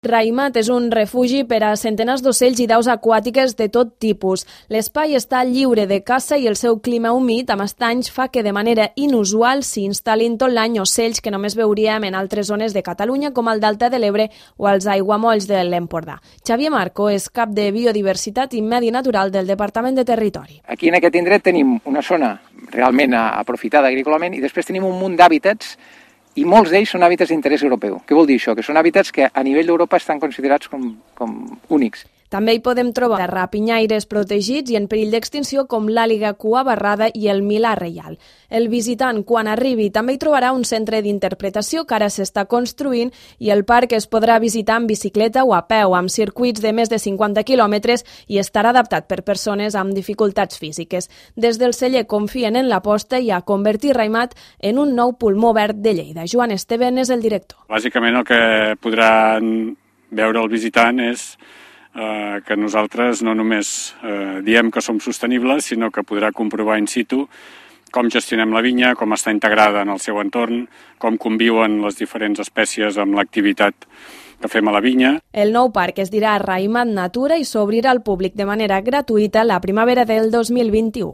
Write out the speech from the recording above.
Raimat és un refugi per a centenars d'ocells i d'aus aquàtiques de tot tipus. L'espai està lliure de caça i el seu clima humit amb estanys fa que de manera inusual s'hi instal·lin tot l'any ocells que només veuríem en altres zones de Catalunya com el Delta de l'Ebre o els aiguamolls de l'Empordà. Xavier Marco és cap de Biodiversitat i Medi Natural del Departament de Territori. Aquí en aquest indret tenim una zona realment aprofitada agrícolament i després tenim un munt d'hàbitats i molts d'ells són hàbitats d'interès europeu. Què vol dir això? Que són hàbitats que a nivell d'Europa estan considerats com únics. També hi podem trobar rapinyaires protegits i en perill d'extinció com l'àliga cua barrada i el milà reial. El visitant, quan arribi, també hi trobarà un centre d'interpretació que ara s'està construint i el parc es podrà visitar en bicicleta o a peu, amb circuits de més de 50 quilòmetres i estarà adaptat per persones amb dificultats físiques. Des del celler confien en l'aposta i a convertir Raimat en un nou pulmó verd de Lleida. Joan Esteven és el director. Bàsicament el que podran veure el visitant és que nosaltres no només diem que som sostenibles, sinó que podrà comprovar in situ com gestionem la vinya, com està integrada en el seu entorn, com conviuen les diferents espècies amb l'activitat que fem a la vinya. El nou parc es dirà Raimat Natura i s'obrirà al públic de manera gratuïta la primavera del 2021.